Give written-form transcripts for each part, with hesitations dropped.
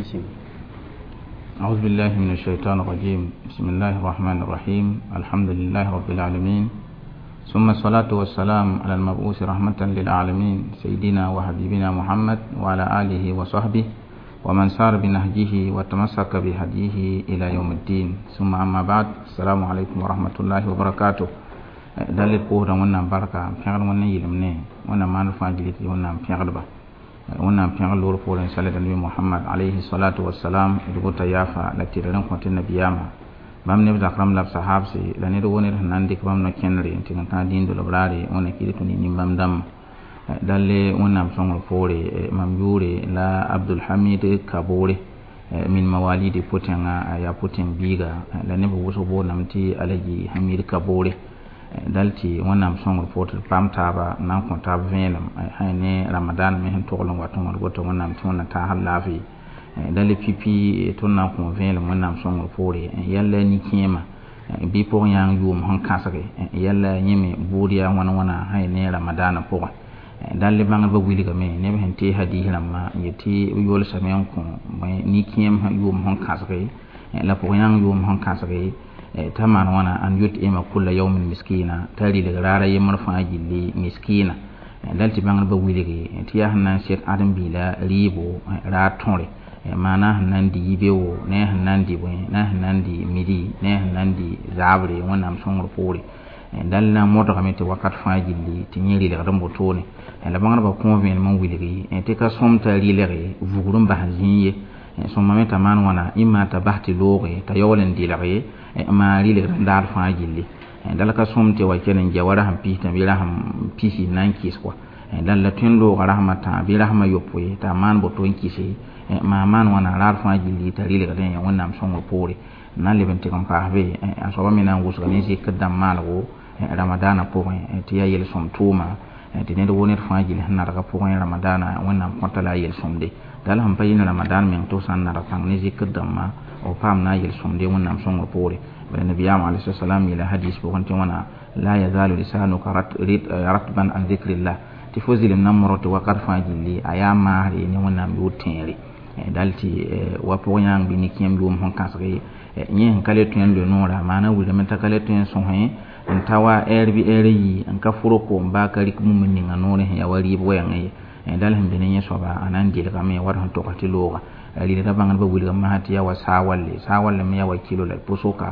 Sɩng. أعوذ بالله من الشيطان الرجيم. بسم الله الرحمن الرحيم. الحمد لله رب العالمين، ثم الصلاة والسلام على المبعوث رحمة للعالمين، سيدنا وحبيبنا محمد وعلى آله وصحبه ومن سار بنهجه وتمسك بهديه إلى يوم الدين. ثم أما بعد، السلام عليكم ورحمة الله وبركاته. Dalil pʋʋsda Wẽnnaam barka n pẽgd Wẽnd n yɩlem ne Wẽnnaam maan fãa gilg tɩ Wẽnnaam pẽgdba, Wẽnnaam pẽgd loor poorẽ sala nabi Mohamad alayhi salatu wasalam. D gota yaafa la tɩ d rẽn kõ tɩ nabiyaamã bãmb neb zak rãmb la b sahabse la ned wo ned sẽn na n dɩk bãmb no-kẽndre n tɩg n tãag dĩin dolb raare. Wẽnna kɩd tũ ne nin-bãmb dãmbã. Dalle Wẽnnaam sõngr poore, mam yʋʋre la Abdulhamid Kabore min mawalidi pʋtẽngã, yaa pʋtẽng biiga la neb wʋsg boondame tɩ Alaji Hamid Kabore. Dal tɩ Wẽnnaam sõngr poor tɩ d paam taaba n na n kõ taab vẽenem sã ne Ramadan me sẽn togl n wat n wãd woto. Wẽnnaam tɩ Wẽnna taasd laafɩ dal pipi tõnd na n kõ vẽelem Wẽnnaam sõngr poore yɛl la nin-kẽemã bɩ pʋg yãng yʋʋm sẽn kãsge yɛl la yẽ me buud yaa wãna wãna sã ne Ramadaanã pʋgẽ. Dal bãngdbã wilgame neb sẽn tees hadis rãmbã n yet tɩ b yolsame n kõ nin-kẽem yʋʋm sẽn kãsge la pʋg yãng yʋʋm sẽn kãsge t'a maan wãna an yut'ima kulla yawmin miskina, t'a rɩlg raara yembr fãa gilli miskina. Dal tɩ bãngdbã wilge tɩ yaa sẽn na n sek ãdem-biila rɩɩbo raar tõre, maana sẽn na n dɩ yibeoogo ne a sẽn na n dɩ bõe ne a sẽn na n dɩ midi ne a sẽn na n dɩ zaabre Wẽnnaam sõngr poore. Dal na n modgame tɩ wakat fãa gilli tɩ yẽ rɩlgd n wotone. La bãngdbã kõ vẽenem n wilgi tɩ ka sõm t'a rɩlge vugr n bas zĩig ye, sõma me t'a maan wãna ĩmma t'a bas tɩ looge t'a yaool n dɩlge maan rɩlgd n daar fãa gilli. Dal ka sõm tɩ wa kell n ja wa rasem pistã bɩ rasem pisi n na n kɩs kɔa. Dal la tõe n looga rasem a tã bɩ rasem a yopoe t'a maan boto n kɩse maa maan wãna raar fãa gilli t'a rɩlgdẽ Wẽnnaam sõngr poore. N na n leb n tɩg n paas be a soaba me na n wʋsga ne zikr dãmb maalgo Ramadaanã pʋgẽ tɩ yaa yel-sõm tʋʋma tɩ ned wo ned fãa gill sẽn nadga pʋgẽ Ramadaanã Wẽnnaam kõta la a yel-sõmde. Dal sẽn pa yɩ ne Ramadan meng tɩ f sã n nadg pãng ne zikr dãmbã f paam na a yel-sõmde Wẽnnaam sõngr poore. Bala nabiyaam alayhi salam yeela hadis pʋgẽ tɩ wãna la yazalu lisanuka ratban an zikrillah, tɩ fo zɩlem na n modg tɩ wakat fãa gilli a yaa maasre ne Wẽnnaam yʋʋr tẽere. Dal tɩ wa pʋg yãng bɩ nin-kẽem yʋʋm sẽn kãsge yẽ sẽn ka le tõe n loe noora maana wilgame t'a ka le tõe n sõsẽ n ta wa ɛɛr bɩ ɛɛr yi n ka fʋrg koom baa ka rɩk bũmb ninga noorẽ sẽn yaa wa rɩɩb wɛɛngẽ ye. Dal sẽn be ne yẽ soaba a na n dɩlgame wat sẽn togs tɩ looga rɩlda. Bãngdbã wilgame masã tɩ yaa wa saa walle, saa walle me yaa wa kilo la pʋsʋka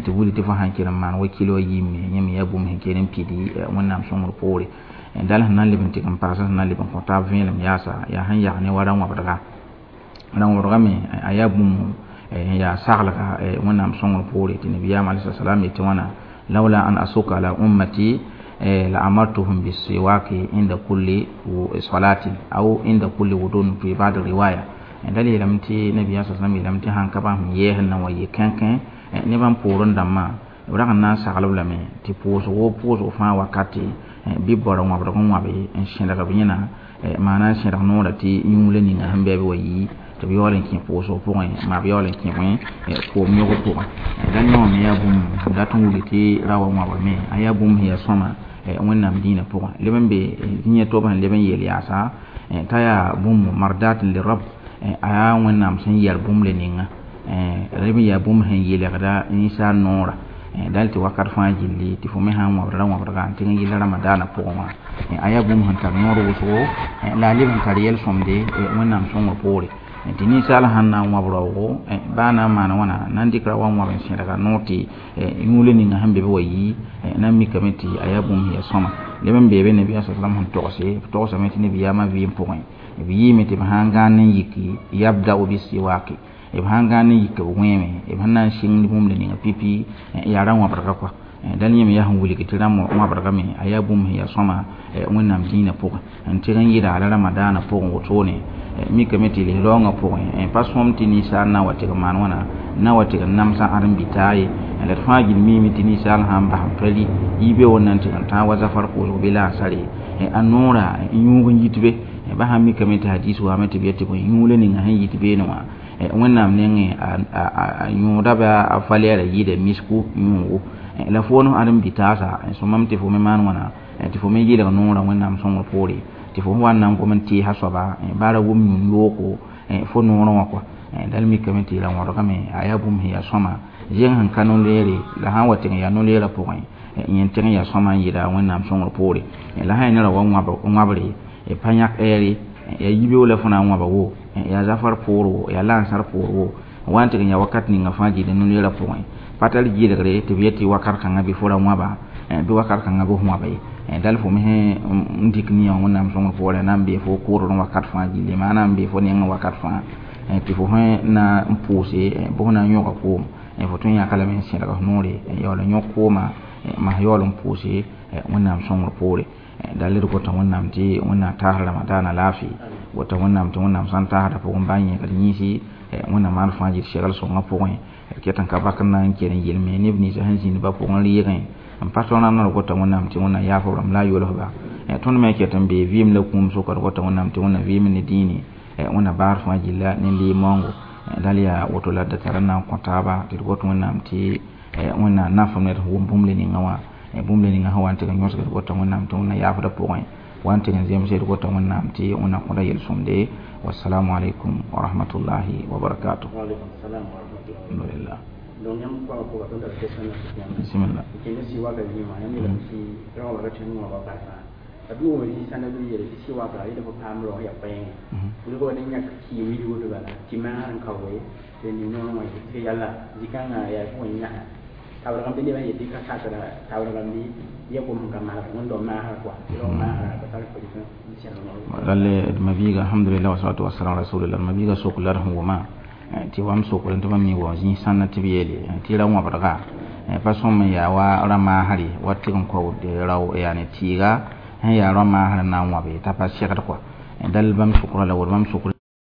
tɩ wilg tɩ fo sãn kell n maan wa kilo a yiime yẽ me yaa bũmb sẽn kell n pidi Wẽnnaam sõngr poore. Dal sẽn na n leb n tɩg n paasa sẽn na n leb n kõ taab vẽenem yaasa yaa sẽn yag ne wa rã-wãbdga. Rã-wãbdga me a yaa bũmb n yaa saglga Wẽnnaam sõngr poore tɩ nabiyaam alayhi salam yetɩ wãna lawla an asuka ala ummati la amartuhum bisiwaki inda kulli salatin aw inda kulli wudun fi ba'd riwaya. Dal yeelame tɩ nabiyaam sa sallam yeelame tɩ sãn ka bãmb sẽn yɛɛsẽ na wa yɩ kẽnkẽ ne bãmb poorẽ dãmbã b rag n na n saglb lame tɩ pʋʋsgo pʋʋsg fãa wakate bɩ b bao rã-wãbdg n wãbe n sẽdg b yẽna maana n sẽdg noorã tɩ yũula ninga sẽn bɩ b wa yii tɩ b yaool n kẽ pʋʋsg pʋgẽ maa b yaool n kẽ bõe koom yõg pʋgẽ. Dal yõ me yaa bũmb dat n wilg tɩ ra wa wãbrame a yaa bũmb sẽn yaa sõma Wẽnnaam dĩinã pʋgẽ leb n be zĩiã tob sẽn leb n yeel yaasa t'a yaa bũmb mardat lirab, a yaa Wẽnnaam sẽn yɛr bũmb le ninga leb n yaa bũmb sẽn yeelgda ninsaal noora. Dal tɩ wakat fãa gilli tɩ fo me sã n wãbd rã-wãbdga n tɩg n yɩl Ramadaanã pʋgẽ wã a yaa bũmb sẽn tar noor wʋsgo la a leb n tar yɛl-sõmde Wẽnnaam sõngr poore tɩ ninsaal sãn na n wãb raoogo baa na n maan wãna na n dɩk ra wa n wãb n sẽdga noor tɩ yũula ninga sẽn be b wa yii na n mikame tɩ a yaa bũmb sẽn yaa sõma. Leb n beebe nabiyaam sa salam sẽn togse b togsame tɩ nabiyaamã vɩɩm pʋgẽ b yɩɩme tɩ b sãn gãan n yiki yabda'u bisiwaki, b sãn gãan n yik b wẽeme b sẽn na n sɩng bũmb le ninga pipi yaa rã-wãbdga kɔa. Dal yẽ me yaa sẽn wilg tɩ rã-wãbdga me a yaa bũmb sẽn yaa sõma Wẽnnaam dĩinã pʋgẽ n tɩg n yɩda la Ramadaanã pʋgẽ wotone. Mikame tɩ lis-raoongã pʋgẽ pa sõm tɩ ninsaal na n wa tɩg n maan wãna na wa tɩg n namsã ãdem-bitaag ye. La d fãa gill miime tɩ ninsaal sãn bas n pa rɩ yibeoog na n tɩg n tãag wa zafar koosg bɩ laasare a noora yũug n yit be ba sãn mikame tɩ hadis waame tɩ b yet tɩ bõe yũula ninga sẽn yit beene wã Wẽnnaam nengẽ a yõoda bɩ a valɛɛra yɩɩda misku yũugo la fo no ãdem-bitaasa sõmame tɩ fo me maan wãna tɩ fo me yɩlg noorã Wẽnnaam sõngr poore tɩ fo wa n na n gom n tɩɩsa soaba baa ra wʋm yũun yooko fo noorã wã kɔa. Dal mikame tɩ ra wõdgame a yaa bũmb sẽn yaa sõma zẽng sẽn ka no-leere la sã n wa tɩg n yaa no-leerã pʋgẽ yẽ tɩg n yaa sõma n yɩɩda Wẽnnaam sõngr poore la sã n yaa ned wa wãbre pa yãk ɛɛre yaa yibeoog la fo na n wãba wo yaa zafar poor wo yaa lansar poor wo wa n tɩg n yaa wakat ninga fãa gilli no-leerã pʋgẽ pa tar gɩlgre tɩ b yet tɩ wakat kãngã bɩ fo ra wãba bɩ wakat kãngã bɩ f wãba ye dal fo me sẽn n dɩk nia Wẽnnaam sõngr poorẽ na n bee fo kʋʋdr wakat fãa gilli maana n bee fo nengẽ wakat fãa tɩ fo sẽn na n pʋʋse bɩ fo na n yõga koom fo tõe n yãka lame n sẽdg f noore yaool n yõk koomã mas yaool n pʋʋse Wẽnnaam sõngr poore dal d gota Wẽnnaam tɩ Wẽnnaam taas ramadaana laafɩ gota Wẽnnaam tɩ Wẽnnaam sã n taasda pʋgẽ bã n yẽgd yĩnsi Wẽnnaam maan fãa gɩd segl sõngã pʋgẽ d ket n ka bak n na n kell n yelme neb ninsã sẽn zĩnd ba pʋgẽ reegẽ n pa tõr rãmb d gota Wẽnnaam tɩ Wẽnnaam yaaf b rãmb la a yolsba tõnd me ket n bee vɩɩm la kũum sʋka d gota Wẽnnaam tɩ Wẽnnaam vɩɩm ne dĩini Wẽnnaam baar fãa gilla ne leeg-maoongo dal yaa woto la d da tar n na n kõ taaba tɩ d got Wẽnnaam tɩ Wẽnnaam nafem ne d wʋm bũmb le ninga wã bũmb le ninga sẽn wa n tɩg n yõsg d gota Wẽnnaam tɩ Wẽnnaam yaafda pʋgẽ wa n tɩg n zemse d gota Wẽnnaam tɩ Wẽnnaam kõda yel-sõmde. Wassalamu alaikum wa rahmatullahi wa barakatuh. Alhamdulillah. Donc yãmb goamã pʋga tõnd tara question na sʋk yãmb. Bismillah. Kẽnd sɩ waka zĩig wã yãmb yeelame tɩ rao wã ra tõe n wãba barka b wʋma zĩ-sãndã bɩ yeele tɩ sɩ waka yẽla fo paam rao yaa koɛɛngẽ wilg wa ne yãk kɩɩm wilg woto bala tɩ maasr n kaoe tɩ ning noorẽ wã tɩ yalla zĩ-kãngã yaa pʋgẽ yãsa taoorgame bɩ nebã yetɩ ka sakra taoorgame bɩ ya gom sẽn ka masg wẽnd-dao maasra kɔa tɩ rao maasra ka tar n sẽg noor. Lalle d mabiiga, alhamdulillah, wasalatu wasalam ala rasulillah. Mabiiga sok la d sẽn wʋma tɩ wam sokr tɩ bãmb mi wa zĩ-sãnda tɩ b yeele tɩ ra wãbdga pa sõm n yaa wa ra-maasre wa tɩg n kao rao yaane tɩɩga sẽn yaa rao-maasr n na n wãbe t'a pa segd kɔa dal bãmb sokra la woto bãmb sokr.